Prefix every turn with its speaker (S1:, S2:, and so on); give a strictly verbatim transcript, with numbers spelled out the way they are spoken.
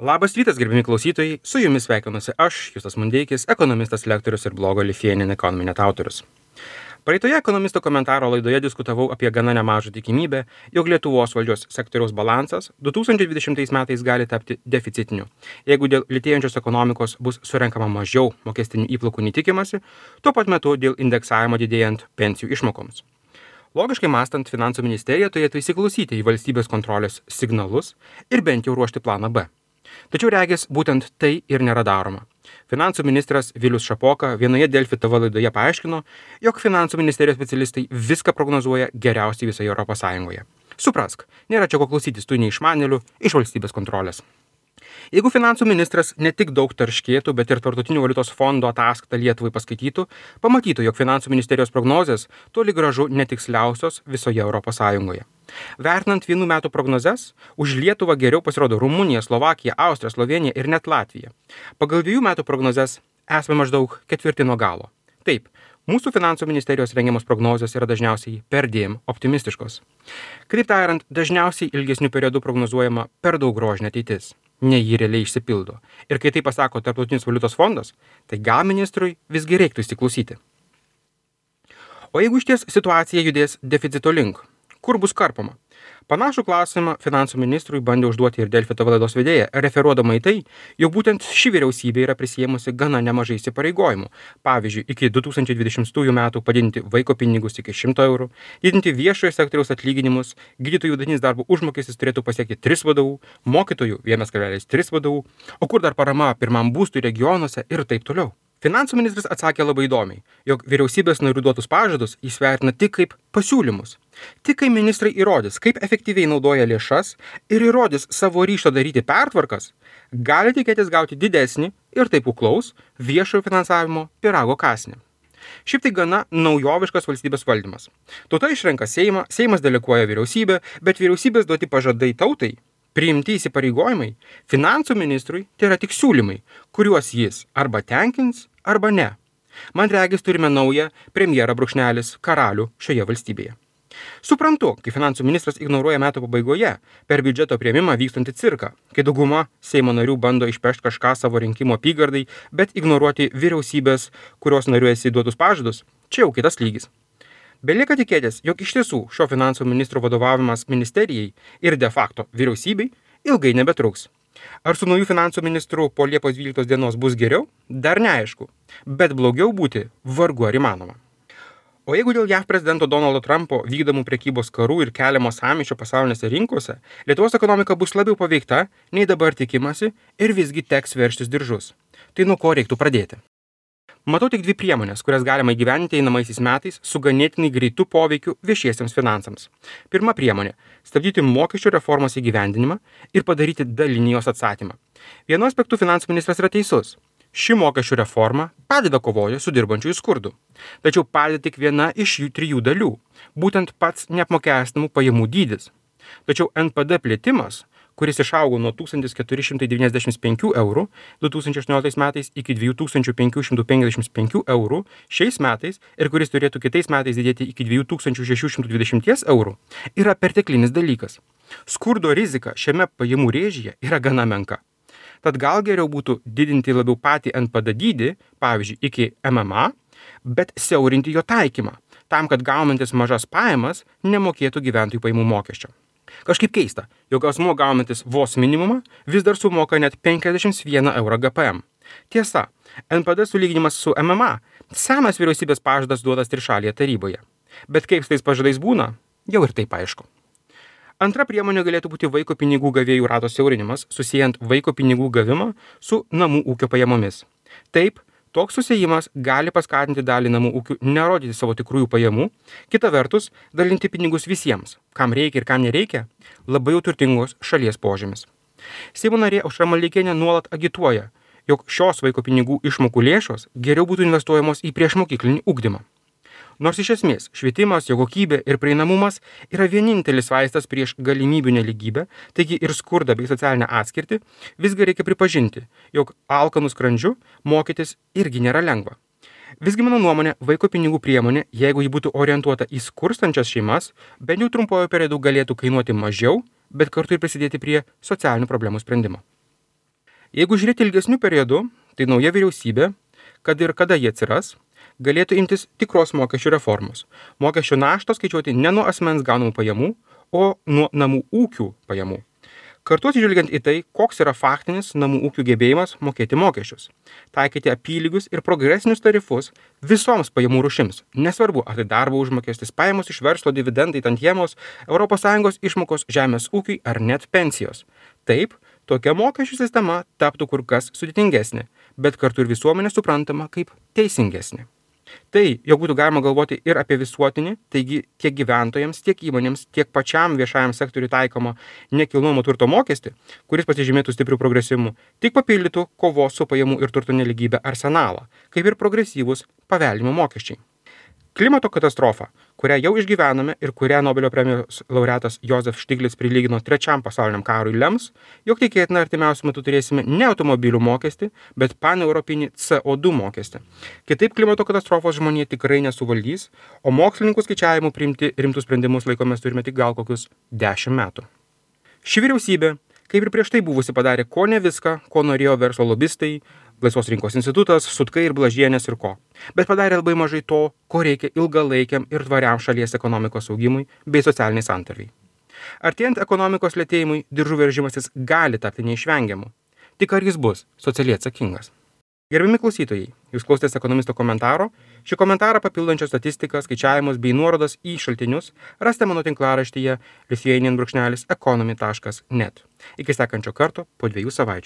S1: Labas rytas, gerbimi klausytojai, su jumis sveikinuosi aš, Justas Mundeikis, ekonomistas, lektorius ir blogo Lithuanian Economy net autorius. Praeitoje ekonomisto komentaro laidoje diskutavau apie gana nemažą tikimybę, jog Lietuvos valdžios sektoriaus balansas du tūkstančiai dvidešimtais metais gali tapti deficitiniu, jeigu dėl lėtėjančios ekonomikos bus surenkama mažiau mokestinių įplaukų nei tikimasi, tuo pat metu dėl indeksavimo didėjant pensijų išmokoms. Logiškai mąstant, finansų ministerija turėtų įsiklausyti į valstybės kontrolės signalus ir bent jau ruošti planą B. Tačiau regis būtent tai ir nėra daroma. Finansų ministras Vilius Šapoka vienoje Delfi T V laidoje paaiškino, jog finansų ministerijos specialistai viską prognozuoja geriausiai visoje Europos Sąjungoje. Suprask, nėra čia ko klausytis tų neišmanėlių iš valstybės kontrolės. Jeigu finansų ministras ne tik daug tarškėtų, bet ir Tarptautinio valiutos fondo ataskaitą Lietuvai paskaitytų, pamatytų, jog finansų ministerijos prognozės toli gražu netiksliausios visoje Europos Sąjungoje. Vertinant vienų metų prognozes, už Lietuvą geriau pasirodo Rumunija, Slovakija, Austrija, Slovėnija ir net Latvija. Pagal dviejų metų prognozes esame maždaug ketvirti nuo galo. Taip, mūsų finansų ministerijos rengiamos prognozės yra dažniausiai perdėm optimistiškos. Kitaip tariant, dažniausiai ilgesnių periodų prognozuojama per daug grožinė ateitis, nei ji realiai išsipildo. Ir kai tai pasako Tarptautinis valiutos fondas, tai gal ministrui visgi reiktų įsiklausyti. O jeigu išties situacija judės deficito link, kur bus karpoma? Panašų klausimą finansų ministrui bandė užduoti ir Delfi T V laidos vedėja, referuodama į tai, jog būtent ši vyriausybė yra prisėmusi gana nemažai įsipareigojimų. Pavyzdžiui, iki du tūkstančiai dvidešimtųjų metų padidinti vaiko pinigus iki šimto eurų, didinti viešojo sektoriaus atlyginimus, gydytojų vidutinis darbo užmokestis turėtų pasiekti tris vadovų, mokytojų vienas kablelis tris vadovų, o kur dar parama pirmam būstui regionuose ir taip toliau. Finansų ministras atsakė labai įdomiai, jog vyriausybės narių duotus pažadus jis vertina tik kaip pasiūlymus. Tik kai ministrai įrodys, kaip efektyviai naudoja lėšas ir įrodys savo ryžtą daryti pertvarkas, gali tikėtis gauti didesnį ir taip kuklaus viešojo finansavimo pyrago kąsnį. Šiaip tai gana naujoviškas valstybės valdymas. Tauta išrenka Seimą, Seimas deleguoja vyriausybę, bet vyriausybės duoti pažadai tautai, priimti įsipareigojimai, finansų ministrui tai yra tik siūlymai, kuriuos jis arba tenkins, arba ne. Man regis turime naują premjerą brūkšnelis karalių šioje valstybėje. Suprantu, kai finansų ministras ignoruoja metų pabaigoje per biudžeto priėmimą vykstantį cirką, kai dauguma Seimo narių bando išpešti kažką savo rinkimo apygardai, bet ignoruoti vyriausybės, kurios narių esi duotus pažadus, čia jau kitas lygis. Belieka tikėtis, jog iš tiesų šio finansų ministro vadovavimas ministerijai ir de facto vyriausybei ilgai nebetruks. Ar su naujų finansų ministru po Liepos dvyliktos dienos bus geriau? Dar neaišku, bet blogiau būti vargu ar įmanoma. O jeigu dėl J A V prezidento Donaldo Trumpo vykdomų prekybos karų ir keliamo sąmyšio pasaulinėse rinkose, Lietuvos ekonomika bus labiau paveikta, nei dabar tikimasi ir visgi teks veržtis diržus. Tai nuo ko reiktų pradėti? Matau tik dvi priemonės, kurias galima įgyvendinti einamaisiais metais su ganėtinai greitu poveikiu viešiesiems finansams. Pirma priemonė – stabdyti mokesčių reformos įgyvendinimą ir padaryti dalinį jos atstatymą. Vienu aspektu finansų ministras yra teisus. Ši mokesčių reforma padeda kovoje su dirbančiųjų skurdu. Tačiau padeda tik viena iš jų trijų dalių – būtent pats neapmokestinamų pajamų dydis. Tačiau N P D plėtimas, kuris išaugo nuo tūkstantis keturi šimtai devyniasdešimt penkių eurų du tūkstančiai aštuonioliktais metais iki dviejų tūkstančių penkių šimtų penkiasdešimt penkių eurų šiais metais ir kuris turėtų kitais metais didėti iki dviejų tūkstančių šešių šimtų dvidešimt eurų, yra perteklinis dalykas. Skurdo rizika šiame pajamų rėžyje yra gana menka. Tad gal geriau būtų didinti labiau patį N P D dydį, pavyzdžiui, iki M M A, bet siaurinti jo taikymą, tam, kad gaunantis mažas pajamas nemokėtų gyventojų pajamų mokesčio. Kažkaip keista, jog asmuo gaunantis vos minimumą vis dar sumoka net penkiasdešimt vieną eurą G P M. Tiesa, N P D sulyginimas su M M A – senas vyriausybės pažadas duotas trišalėje taryboje. Bet kaip su tais pažadais būna, jau ir taip aišku. Antra priemonė galėtų būti vaiko pinigų gavėjų rato siaurinimas, susijant vaiko pinigų gavimą su namų ūkio pajamomis. Taip, toks susiejimas gali paskatinti dalį namų ūkių nerodyti savo tikrųjų pajamų, kita vertus dalinti pinigus visiems, kam reikia ir kam nereikia, labai jau turtingos šalies požymis. Seimo narė Aušra Maldeikienė nuolat agituoja, jog šios vaiko pinigų išmokų lėšos geriau būtų investuojamos į priešmokyklinį ugdymą. Nors iš esmės švietimas, jo kokybė ir prieinamumas yra vienintelis vaistas prieš galimybių nelygybę, taigi ir skurdą bei socialinę atskirtį, visgi reikia pripažinti, jog alkanų skrandžiu mokytis irgi nėra lengva. Visgi mano nuomonė, vaiko pinigų priemonė, jeigu ji būtų orientuota į skurstančias šeimas, bent jau trumpojo periodu galėtų kainuoti mažiau, bet kartu ir prisidėti prie socialinių problemų sprendimo. Jeigu žiūrėti ilgesnių periodų, tai nauja vyriausybė, kad ir kada jie atsiras, galėtų imtis tikros mokesčių reformos. Mokesčių naštą skaičiuoti ne nuo asmens gaunamų pajamų, o nuo namų ūkių pajamų. Kartu atsižvelgiant į tai, koks yra faktinis namų ūkių gebėjimas mokėti mokesčius. Taikyti apylygius ir progresinius tarifus visoms pajamų rūšims. Nesvarbu, ar tai darbo užmokestis, pajamos iš verslo, dividendai, tantiemos, Europos Sąjungos išmokos žemės ūkiui ar net pensijos. Taip, tokia mokesčių sistema taptų kur kas sudėtingesnė, bet kartu ir visuomenė suprantama kaip teisingesnė. Tai, jog būtų galima galvoti ir apie visuotinį, taigi tiek gyventojams, tiek įmonėms, tiek pačiam viešajam sektoriui taikomą nekilnojamo turto mokestį, kuris pasižymėtų stiprių progresyvumų, tik papildytų kovos su pajamų ir turto nelygybė arsenalą, kaip ir progresyvūs paveldimo mokesčiai. Klimato katastrofa, kurią jau išgyvename ir kurią Nobelio premijos laureatas Josef Stiglitz prilygino trečiam pasauliniam karui, lems, jog tikėtina artimiausiu metu turėsime ne automobilių mokestį, bet paneuropinį C O du mokestį. Kitaip klimato katastrofos žmonija tikrai nesuvaldys, o mokslininkų skaičiavimų priimti rimtus sprendimus laikomės turime tik gal kokius dešimt metų. Ši vyriausybė, kaip ir prieš tai buvusi, padarė ko ne viską, ko norėjo verslo lobistai, Laisvos rinkos institutas, Sutkai ir Blažienės ir ko. Bet padarė labai mažai to, ko reikia ilgalaikiam ir tvariam šalies ekonomikos augimui bei socialiniai santarvei. Artėjant ekonomikos lėtėjimui, diržų veržimasis gali tapti neišvengiamu. Tik ar jis bus socialiai atsakingas? Gerbiami klausytojai, jūs klausėtės ekonomisto komentaro. Šį komentarą papildančią statistiką, skaičiavimus bei nuorodas į šaltinius rasite mano tinklaraštyje lithuanian brūkšnelis economy taškas net. Iki sekančio karto po dviejų savaičių.